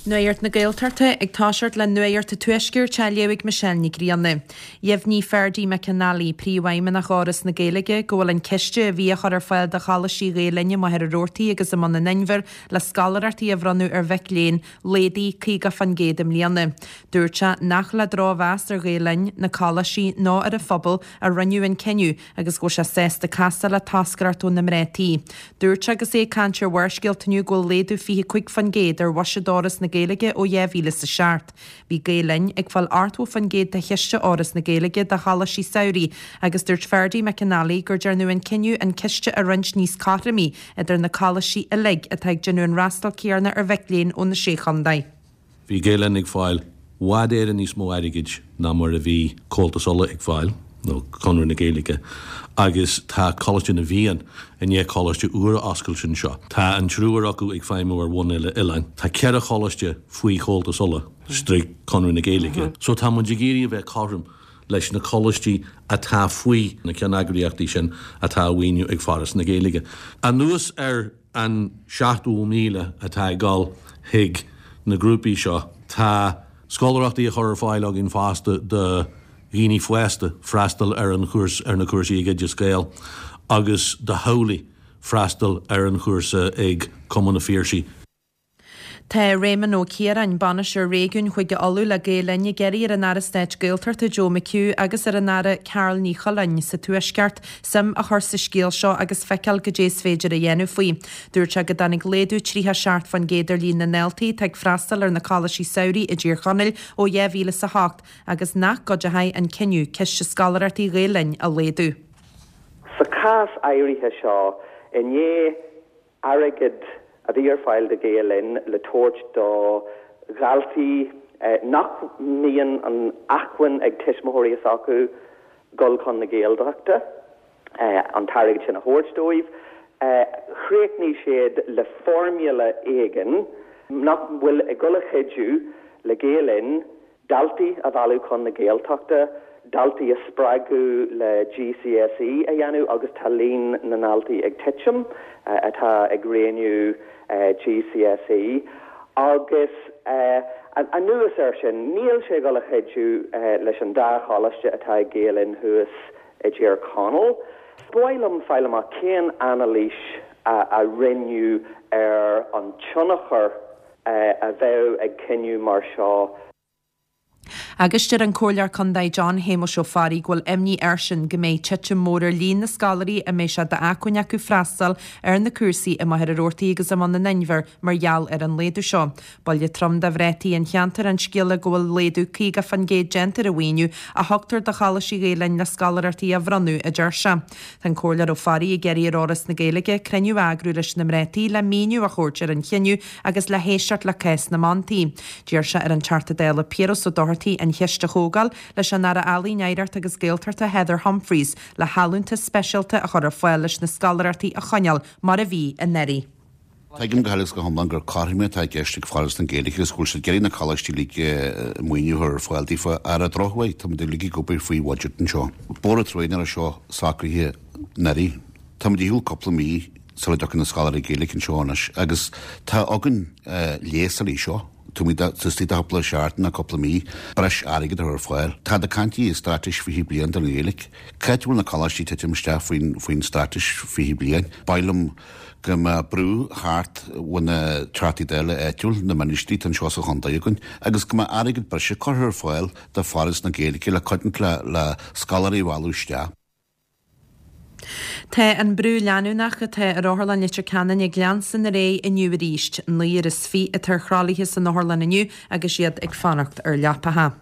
Nuacht na Gaeltachta ag toiseacht le Nuacht an Tuaiscirt á léamh ag Michelle Ní Ghrianna. Dheimhnigh Ferdie McAnally, Príomhfheidhmeannach Fhoras na Gaeilge, go bhfuil an ciste a bhí á chur ar fáil do Choláistí Ghael Linn i Machaire Rabhartaigh agus i mBun an Inbhir le scoláireachtaí a bhronnadh ar mhic léinn laghdaithe 50% i mbliana. Dúirt sé nach le drochmheas ar Ghael Linn, na coláistí nó ar an phobal a rinneadh an cinneadh agus go bhfuil sé sásta castáil le toscaireacht ó na mná tí. Dúirt sé agus é ag caint ar Bharrscéalta inniu go bhfuil laghdú 25% ar bhuiséad Fhoras na Gaeilge ó 2007. Bhí Gael Linn ag fáil 80% de chiste Fhoras na Gaeilge do choláistí samhraidh agus dúirt Ferdie McAnally gur déanadh an cinneadh an ciste a roinnt níos cothromaí idir na coláistí uilig atá ag déanamh an fhreastal céanna ar mhic léinn ó na Sé Chontae. Bhí Gael Linn ag fáil i bhfad Éireann níos mó airgid ná mar a bhí Comhaltas Uladh ag fáil, nó Conradh na Gaeilge, agus tá Coláiste na bhFiann i ndiaidh coláiste úr a oscailt anseo. Tá an triúr acu ag feidhmiú ar bhonn uile-oileáin. Tá 4 choláiste faoi Chomhaltas Uladh, stroke Conradh na Gaeilge. So tá muid ag iarraidh a bheith cothrom leis na coláistí atá faoi na ceanneagraíochtaí sin atá á mhaoiniú ag Foras na Gaeilge. Anuas ar an 70,000 atá ag dul chuig na grúpaí seo, tá scoláireachtaí á chur ar fáil againn fosta do dhaoine fásta freastal ar an chúrsa, ar na cúrsaí ag Oideas Gael agus do theaghlaigh freastal ar an chúrsa ag Cumann an Phiarsaigh. Tá Réamonn Ó Ciaráin, Bainisteoir Réigiúin Chúige Uladh le Gael Linn ag iarraidh ar an Aire Stáit Gaeltachta Joe McHugh agus ar an Aire Carál Ní Chuilín sa Tuaisceart suim a chur sa scéal seo agus feiceáil goidé is féidir a dhéanamh faoi. Dúirt sé go dtáinig laghdú 37% ar líon na ndaltaí atá ag freastal ar na coláistí samhraidh i dTír Chonaill ó 2008 agus nach gcuideoidh an cinneadh ciste scoláireachtaí Ghael Linn a laghdú. Sa chás áirithe seo, i ndiaidh airgead a bhí ar fáil do Ghael Linn le tabhairt do dhaltaí nach mbíonn an acmhainn ag tuismitheoirí s'acu dul chun na Gaeltachta, an t-airgead sin a thabhairt dóibh. Chríochnaigh siad le formula éigin nach bhfuil ag dul a chuidiú le Gael Linn daltaí a mhealladh chun na Gaeltachta, daltaí a spreagadh le GCSE a dhéanamh agus tá líon na ndaltaí ag titim atá ag roghnú GCSE agus anuas air sin níl sé ag dul a chuidiú leis an dá choláiste atá ag Gael Linn thuas i dTír Chonaill. Ba mhaith liom fáil amach cén anailís a rinneadh ar an tionchar a bheadh ag cinneadh mar seo. Agus deir an Comhairleoir Contae John Shéamuis Ó Fearraigh go bhfuil imní airsean go mbeidh titim mór ar líon na scoláirí a mbeidh sé d'acmhainn acu freastal ar na cúrsaí i Machaire Rabhartaigh agus i mBun an Inbhir mar gheall ar an laghdú seo. Buille trom do mhná tí an cheantair an scéala go bhfuil laghdú 50% déanta ar an mhaoiniú a thugtar do Choláistí Ghael Linn le scoláireachtaí a bhronnadh, a deir sé. Tá an Comhairleoir Ó Fearraigh ag iarraidh ar Fhoras na Gaeilge cruinniú a eagrú leis na mná tí le míniú a thabhairt ar an chinneadh agus le héisteacht le cás na mban tí. D'iarr sé ar an Teachta Dála Piaras Ó Dochartaigh an cheist a thógáil leis an Aire Ealaíon, Oidhreachta agus Gaeltachta Heather Humphreys le hallúntas speisialta a chur ar fáil leis na scoláireachtaí a choinneáil mar a bhí anuraidh. Tuigim go huile is go hiomlán gur cothroime atá i gceist ag Foras na Gaeilge agus go bhfuil siad ag iarraidh na coláistí uilig maoiniú a chur ar fáil daofa. Ar an drochuair, táimid uilig ag obair faoi bhuiséad anseo. B'fhógra trua nach raibh seo socraithe anuraidh. Táimid ar shiúl cúpla mí sula dtiocfaidh na scoláirí Gaeilge anseo anois agus tá againn leigheas ar seo. Táimid istigh de chúpla seachtain nó cúpla mí breis airgid a chur ar fáil. Tá ag caint i Straitéis 20 Bliain don Ghaeilge. Cá háit a bhfuil na coláistí ag titim isteach faoin Straitéis 20 Bliain? Ba mhaith liom go mbeadh brú thart ó na Teachtaí Dála áitiúil, na ministrí atá anseo sa chontae againn, agus go mbeadh airgead breise curtha ar fáil do Foras na Gaeilge le coinnt le le scoláirí a mhealladh isteach. Tá an brú leanúnach atá ar Otharlann Leitir Ceanainn ag leanstan ar aghaidh inniu arís. 29 atá ar thralaithe san otharlann inniu agus iad ag fanacht ar leapacha.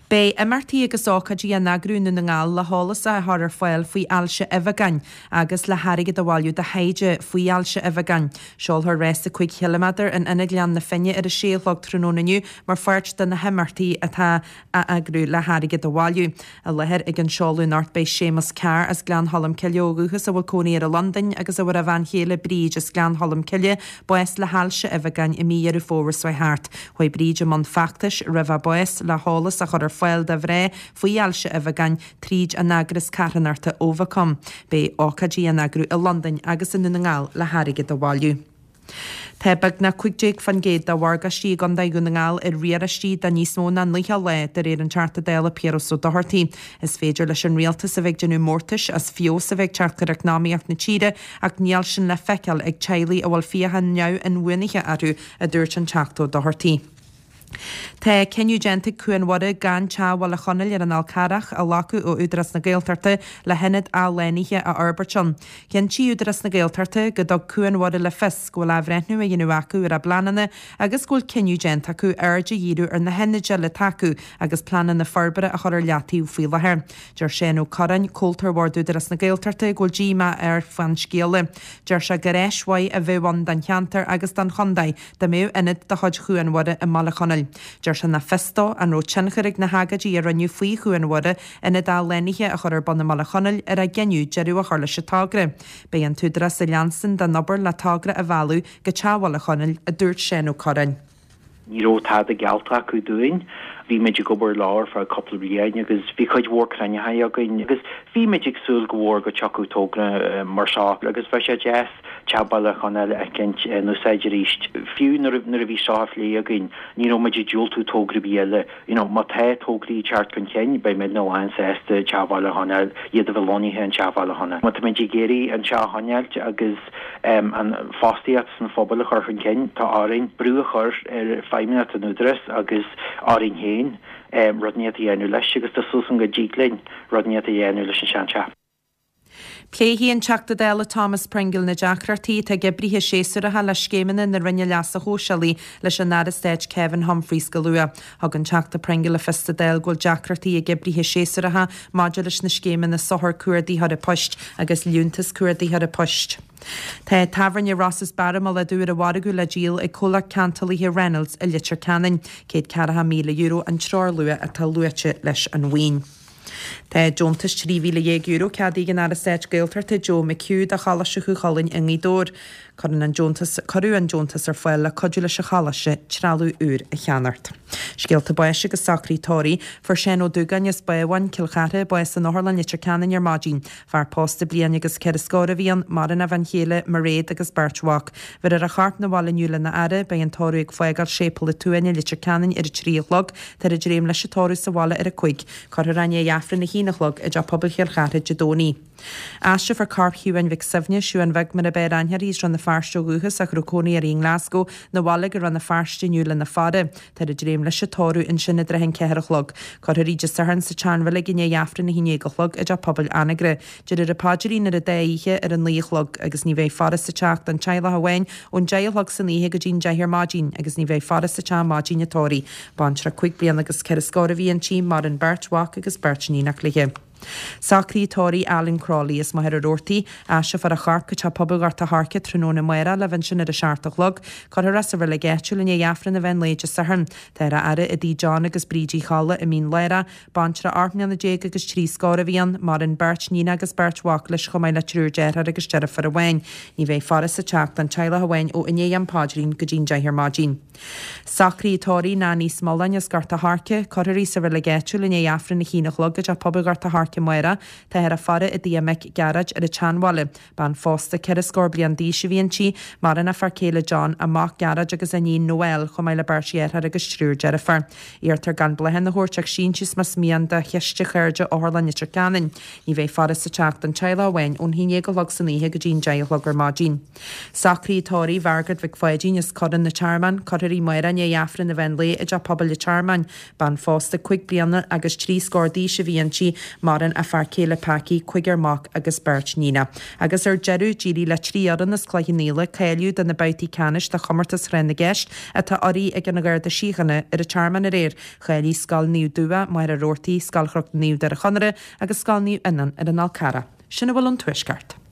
Beidh imeachtaí agus ócáidí á n-eagrú i nDún na nGall le heolas a chur ar fáil faoi ailse uibheagáin agus le hairgead a bhailiú do thaighde faoi ailse uibheagáin. Seolfar rása 5 chiliméadar in Ionad Ghleann na Finne ar a sé a chlog tráthnóna inniu mar pháirt de na himeachtaí atá á eagrú le hairgead a bhailiú. I láthair ag an seoladh anocht beidh Séamus Carr as Gleann Cholm Cille ó dhúchas a bhfuil cónaí air i Londain agus a bhfuair a bhean chéile Bríd as Gleann Cholm Cille bás le hailse uibheagáin i mí Dheireadh Fómhair seo thart. Chuaigh Bríd i mbun feachtais roimh a bás le heolas a chur ar fáil do mhná faoi ailse uibheagáin tríd an eagras carthanachta Ovacome. Beidh ócáidí á n-eagrú i Londain agus i nDún na nGall le hairgead a bhailiú. Tá beagnach 15% de mhorgáistí i gContae Dhún na nGall ar riaráistí de níos mó ná 90 lá, de réir an Teachta Dála Piaras Ó Dochartaigh. Is féidir leis an rialtas a bheith ag déanamh mórtais as feabhas a bheith ag teacht ar eacnamaíocht na tíre ach níl sin le feiceáil ag teaghlaigh a bhfuil fiacha neamh-inbhuanaithe orthu, a dúirt an Teachta Ó Dochartaigh. Tá cinneadh déanta ag Cuan Mhuire gan Teach Bhaile Chonaill ar an Fhál Carrach a ghlacadh ó Údarás na Gaeltachta le hionad athshlánaithe a fhorbairt ann. Chinntigh Údarás na Gaeltachta go dtug Cuan Mhuire le fios go bhfuil athbhreithniú á dhéanamh acu ar a bpleananna agus go bhfuil cinneadh déanta acu aird a dhíriú ar na hionaid eile atá acu agus pleananna forbartha a chur ar leataobh faoi láthair. Deir Seán Ó Curráin, comhalta ar bhord Údarás na Gaeltachta, go bhfuil díomá air fán scéala. Deir sé gur áis mhaith a bheadh ann don cheantar agus don chontae dá mbeadh ionad de chuid Chuan Mhuire i mBaile Chonaill. Deir sé nach fios dó an raibh tionchar ag na hagóidí a rinneadh faoi Chuan Mhuire ionad athshlánaithe a chur ar bun i mBaile Chonaill ar a gcinneadh deireadh a chur leis an togra. Beidh an tÚdarás ag leanstan den obair le togra a mhealladh go Teach Bhaile Chonaill, a dúirt Seán Ó Curráin. Ní raibh tada geallta acu dúinn. Bhí muid ag obair leo ar feadh cúpla bliain agus bhí cuid mhór cruinnithe againn agus bhí muid ag súil go mhór go dtiocfadh togra mar seo agus bheadh sé deas Teach Bhaile Chonaill a fheiscint in úsáid arís. Fiú nuair a bhí seo á phlé againn, ní raibh muid ag diúltú togra ar bith eile. You know, má tá tograí ag teacht chun cinn, beidh muidne lánsásta Teach Bhaile Chonaill, iad a bheith lonnaithe in Teach Bhaile Chonaill. Má tá muid ag iarraidh an teach a choinneáilt agus an fostaíocht san phobal a chur chun cinn, tá orainn brú a chur ar feidhmeannacht an Údarás agus orainn féin rud inteacht a dhéanamh leis agus tá súil agam go dtig linn rud inteacht a dhéanamh leis an seanteach. Pléifidh an Teachta Dála Thomas Pringle na deacrachtaí atá ag oibrithe séasúracha le scéimeanna na Roinne Leasa Shóisialaigh leis an Aire Stáit Kevin Humphreys go luath. Thug an Teachta Pringle le fios sa Dáil go bhfuil deacrachtaí ag oibrithe séasúracha maidir leis na scéimeanna Sochar Cuardaitheora Poist agus Liúntas Cuardaitheora Poist. Tá tábhairne Ross's Bar i mBaile Átha Dubha ar an mhargadh le díol ag comhlacht ceantálaithe Reynolds i Leitir Ceanainn. €140,000 an treoirluach atá luaite leis an mhaoin. Tá deontas €13,000 ceadaithe ag an Aire Stáit Gaeltachta Joe McHugh do Choláiste Chú Chulainn i nGaoth Dobhair. Cuireann an deontas Cuireadh an deontas ar fáil le cuidiú leis an choláiste trealamh úr a cheannacht. Scéalta báis agus socruithe tórraimh. Fuair Seán Ó Dúgáin as Bábhún, Cill Chartha, bás in Otharlann Leitir Ceanainn ar maidin. Fear pósta bliain agus ceithre scór a bhí ann, maireann a bhean chéile, Mairéad, agus beirt mhac. Bheirfear a chorp 'na bhaile inniu lena fhaire. Beidh an tórramh ag fágáil Séipéal an tSuain i Leitir Ceanainn ar a 3 a chlog. Táthar ag dréim leis an tórramh sa bhaile ar a 5. Cuirfear é i ndiaidh Aifreann a haon a chlog i dTeach Pobail Chill Chartha Dé Domhnaigh. Aistreofar corp Shiobháin Mhic Suibhne, Siobhán Bheag mar ab fhearr aithne uirthi, as Rann na Feirste ó dhúchas ach a raibh cónaí uirthi i nGlasgow, 'na bhaile go Rann na Feirste inniu lena faire. Táthar ag dréim leis an tórramh ansin i dtrátha an ceathair a chlog. Cuirfear í Dé Sathairn sa tSeanreilig i ndiaidh Aifreann a haon déag a chlog i dTeach Pobail Anagaire. Déarfar an paidrín ar an dá oíche ar a naoi a chlog agus ní bheidh faire sa teach don teaghlach amháin ón deich a chlog san oíche go dtí'n deich ar maidin agus ní bheidh faire sa teach maidin an tórraimh. Baintreach cúig bliana agus ceithre scór a bhí inti, maireann beirt mhac agus beirt níonach léi. Socruithe tórraimh Alan Crowley as Machaire Rabhartaigh. Aistreofar a chorp go Teach Pobail Ghort a' Choirce tráthnóna amárach le bheith ansin ar a seacht a chlog. Cuirfear é sa reilig áitiúil i ndiaidh Aifreann an mheán lae Dé Sathairn. Táthar á fhaire i dtigh John agus Bríd Uí Cholla i Mín Lárach. Baintreach 18 mbliana agus trí scór a bhí ann. Maireann beirt níon agus beirt mhac leis chomh maith le triúr deartháir agus deirfiúr amháin. Ní bheidh faire sa teach don teaghlach amháin ó i ndiaidh an paidrín go dtí'n deich ar maidin. Socruithe tórraimh Nanny Smulláin as Gort a' Choirce. Cuirfear í sa reilig áitiúil i ndiaidh Aifreann a haon a chlog i dTeach Pobail Ghort a' Choirce amárach. Táthar á faire i dtigh a mic Gearóid ar an tSeanbhaile. Bean phósta ceithre scór bliain d'aois a bhí inti. Maireann a fear céile John, a mac Gearóid agus a iníon Noelle, chomh maith le beirt dheartháir agus triúr deirfiúr. Iarrtar gan bláthanna a thabhairt ach síntiús más mian do Chiste Chairde Otharlann Leitir Ceanainn. Ní bheidh faire sa teach don teaghlach amháin ón haon déag a chlog san oíche go dtí'n deich a chlog ar maidin. Socruithe tórraimh Mhargaret Mhic Pháidín as Corrán an Tearmainn, Cuirfear í amárach i ndiaidh Aifreann an mheán lae i dTeach Pobail an Tearmainn. Bean phósta cúig bliana agus trí scór d'aois a bhí inti, maireann a fear céile Packie, cúigear mac agus beirt níonach. Agus ar deireadh, d'éirigh le trí fhoireann as Cloich Cheann Fhaola cáiliú do na babhtaí ceannais de chomórtas Thráth na gCeist atá urraithe ag an Gharda Síochána ar an Tearmann aréir. Cháiligh Scoil Naomh Dubhá, Machaire Rabhartaigh, Scoil Chnoc Naomh Doire Chonaire agus Scoil Naomh Fhionán ar an Fhál Carrach. Sin a bhfuil ón Tuaisceart.